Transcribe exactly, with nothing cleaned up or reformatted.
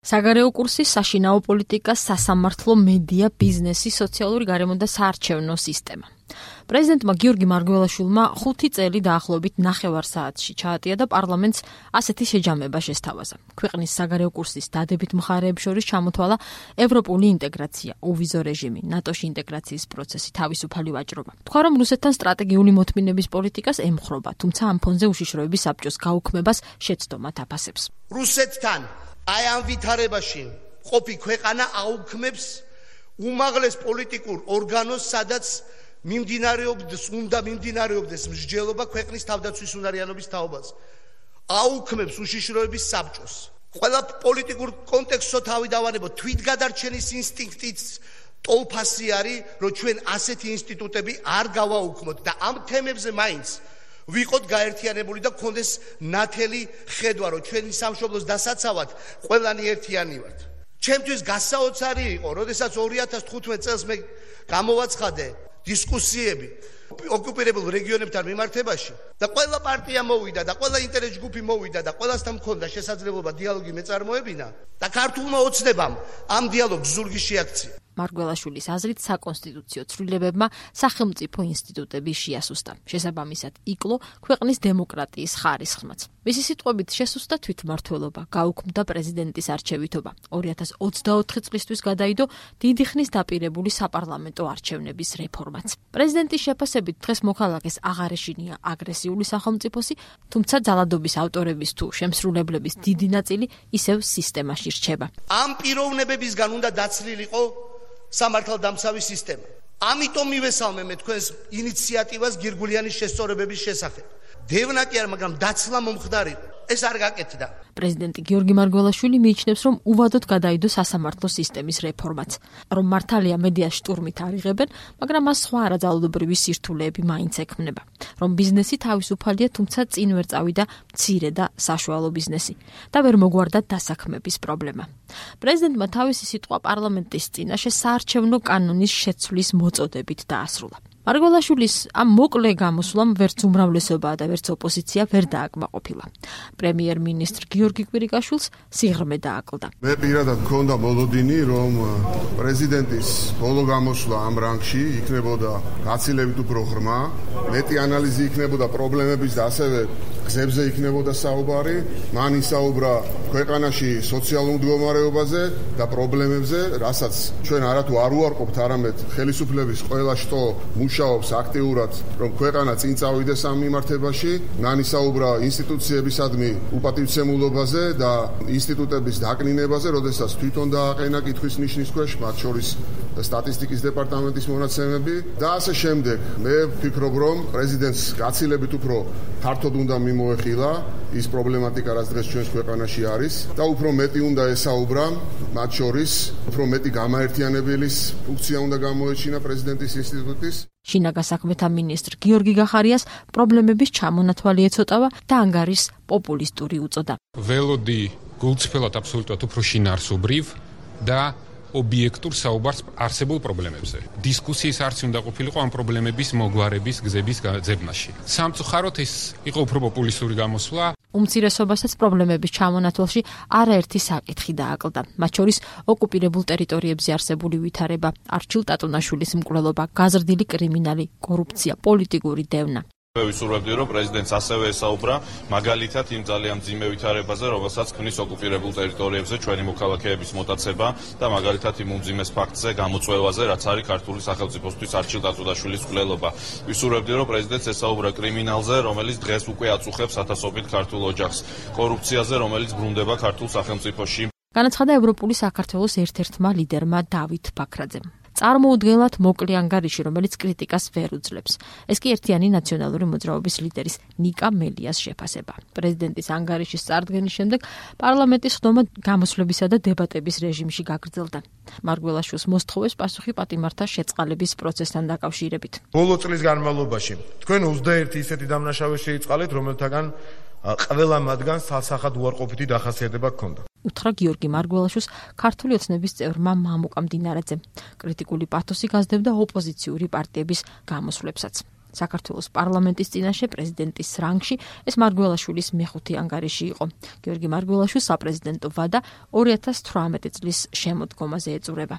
საგარეო კურსი, საშინაო პოლიტიკა, სასამართლო, მედია, ბიზნესი, სოციალური გარემო და საარჩევნო სისტემა. პრეზიდენტმა გიორგი მარგველაშვილმა ხუთი წელი დაახლოებით ნახევარ საათში ჩაატია და პარლამენტს ასეთი შეჯამება შესთავაზა. ქვეყნის საგარეო კურსის დადებით მხარეებს შორის ჩამოთვალა ევროპული ინტეგრაცია, უვიზო რეჟიმი, ნატოში ინტეგრაციის პროცესი, თავისუფალი ვაჭრობა. თქვა, რომ რუსეთთან სტრატეგიული მოთმინების პოლიტიკას ემხრობა, თუმცა ამ ფონზე უშიშროების საბჭოს გაუქმებას შეცდომა თაფასებს. რუსეთთან აი ამ ვითარებაში ყოფი ქვეყანა აუქმებს უმაღლეს პოლიტიკურ ორგანოს, სადაც მიმდინარეობდეს, უნდა მიმდინარეობდეს მსჯელობა ქვეყნის თავდაცვის უნარიანობის თაობაზე. აუქმებს უშიშროების საბჭოს. ყველა პოლიტიკურ კონტექსტსო თავი დავანებოთ, თვითგადარჩენის ინსტინქტიც ტოლფასი არის, რომ ჩვენ ასეთი ინსტიტუტები არ გავაუქმოთ და ამ თემებზე მაინც ვიყოთ გაერთიანებული და გქონდეს ნათელი ხედვა, რომ ჩვენი სამშობლოს დასაცავად ყველანი ერთიანი ვართ. ჩემთვის გასაოცარი იყო, როდესაც ორი ათას თხუთმეტ წელს მე გამოვაცხადე დისკუსიები ოკუპირებულ რეგიონებთან მიმართებაში და ყველა პარტია მოვიდა და ყველა ინტერეს ჯგუფი მოვიდა და ყველასთან მქონდა შესაძლებლობა დიალოგი მეწარმოებინა და ქართულმა ოცნებამ ამ დიალოგს ზურგი შეაქცია. მარგველაშვილის აზრით საკონსტიტუციო ცვლილებებმა სახელმწიფო ინსტიტუტები შეასუსტა. შესაბამისად იკლო ქვეყნის დემოკრატიის ხარისხმაც. მისი სიტყვებით შესუსტა თვითმმართველობა, გაუქმდა პრეზიდენტის არჩევითობა. ორი ათას ოცდაოთხი წლისთვის გადაიდო დიდი ხნის დაპირებული საპარლამენტო არჩევნების რეფორმაც. პრეზიდენტის შეფასებით დღეს მოქალაქეს აღარ ეშინია აგრესიული სახელმწიფოსი, თუმცა ძალადობის ავტორების თუ შემსრულებლების დიდი ნაწილი ისევ სისტემაში რჩება. ამ პიროვნებებისგან უნდა დაცლილიყო სამართალდამცავი სისტემა. ამიტომ მივესალმე მე თქვენს ინიციატივას გირგულიანის შესწორებების შესახებ. დევნა კი არ, მაგრამ დაცლა მომხდარიყო. ეს არ გაკეთდა. პრეზიდენტი გიორგი მარგველაშვილი მიიჩნევს, რომ უვადოდ გადაიდო სასამართლო სისტემის რეფორმაც, რომ მართალია მედიას შტურმით არიღებენ, მაგრამ მას სხვა არაძალადობრივი სირთულეები მაინც ექმნება. რომ ბიზნესი თავისუფალია, თუმცა წინ ვერ წავიდა მცირე და საშუალო ბიზნესი და ვერ მოგვარდა დასაქმების პრობლემა. პრეზიდენტმა თავისი სიტყვა პარლამენტის წინაშე საარჩევნო კანონის შეცვლის მოწოდებით დაასრულა. მარგველაშვილის ამ მოკლე გამოსვლამ ვერც უმრავლესობა და ვერც ოპოზიცია ვერ დააკმაყოფილა. პრემიერ-მინისტრ გიორგი კვირიკაშვილს სიღრმე დააკლდა. მე პირადად მქონდა მოლოდინი, რომ პრეზიდენტის ბოლო გამოსვლა ამ რანგში იქნებოდა გაცილებით უფრო ღრმა, მეტი ანალიზი იქნებოდა პრობლემების და ასევე გზებზე იქნებოდა საუბარი. მან ისაუბრა ქვეყანაში სოციალურ მდგომარეობაზე და პრობლემებზე, რასაც ჩვენ არათუ არ უარყოფთ, არამედ ხელისუფლების ყველა შტო მუშაობს აქტიურად, რომ ქვეყანა წინ წავიდეს ამ მიმართებაში. მან ისაუბრა ინსტიტუციებისადმი უპატივცემულობაზე და ინსტიტუტების დაკნინებაზე, როდესაც თვითონ დააყენა კითხვის ნიშნის ქვეშ, მათ შორის სტატისტიკის დეპარტამენტის მონაცემები და ასე შემდეგ. მე ვფიქრობ, რომ პრეზიდენტს გაცილებით უფრო ფართოდ უნდა მიმოეხილა ის პრობლემატიკა, რაც დღეს ჩვენს ქვეყანაში არის და უფრო მეტი უნდა ესაუბრა, მათ შორის უფრო მეტი გამაერთიანებლის ფუნქცია უნდა გამოეჩინა პრეზიდენტის ინსტიტუტის. შინაგან საქმეთა მინისტრ გიორგი გახარიას პრობლემების ჩამონათვალი ეცოტავა და ანგარის პოპულისტური უწოდა. ველოდი გულწრფელად აბსოლუტურად უფრო შინაარსობრივ და ობიექტურ საუბარს არსებულ პრობლემებზე. დისკუსიის არცი უნდა ყოფილიყო ამ პრობლემების მოგვარების გზების ძებნაში. სამწუხაროდ ეს იყო უფრო პოპულისტური გამოსვლა. უმცირესობასაც პრობლემების ჩამონათვალში არაერთი საკითხი დააკლდა. მათ შორის ოკუპირებულ ტერიტორიებზე არსებული ვითარება, არჩილ ტატუნაშვილის მკვლელობა, გაზრდილი კრიმინალი, კორუფცია, პოლიტიკური დევნა. მე ვისურვებდი, რომ პრეზიდენტს ასევე ესაუბრა მაგალითად იმ ძალიან მძიმე ვითარებაზე, რომელსაც ქმნის ოკუპირებულ ტერიტორიებზე ჩვენი მოქალაქეების მოტაცება და მაგალითად იმ უმძიმეს ფაქტზე, გამოწვევაზე, რაც არის ქართული სახელმწიფოსთვის არჩილ ტატუნაშვილის მკვლელობა. ვისურვებდი, რომ პრეზიდენტს ესაუბრა კრიმინალზე, რომელიც დღეს უკვე აწუხებს ათასობით ქართულ ოჯახს, კორუფციაზე, რომელიც ბრუნდება ქართულ სახელმწიფოში. განაცხადა ევროპული საქართველოს ერთ-ერთმა ლიდერმა დავით ბაქრაძემ. წარმოუდგენლად მოკლე ანგარიში, რომელიც კრიტიკას ვერ უძლებს. ეს კი ერთიანი ნაციონალური მოძრაობის ლიდერის ნიკა მელიას შეფასება. პრეზიდენტის ანგარიშის წარდგენის შემდეგ პარლამენტის ხდომა გამოსვლებისა და დებატების რეჟიმში გაგრძელდა. მარგველაშვილს მოსთხოვეს პასუხი პატიმართა შეწყალების პროცესთან დაკავშირებით. ბოლო წლის განმავლობაში თქვენ ოცდაერთი ისეთი დამნაშავე შეიწყალეთ, რომელთაგან ყველა მათგანს სასახად უარყოფითი დახასიათება ჰქონდა. უთხრა გიორგი მარგველაშვილს ქართული ოცნების წევრმა მამუკა მდინარაძემ. კრიტიკული პათოსი გაზრდებდა ოპოზიციური პარტიების გამოსვლებსაც. საქართველოს პარლამენტის წინაშე პრეზიდენტის რანგში ეს მარგველაშვილის მეხუთე ანგარიში იყო. გიორგი მარგველაშვილს საპრეზიდენტო ვადა ორი ათას თვრამეტი წლის შემოდგომაზე ეწურება.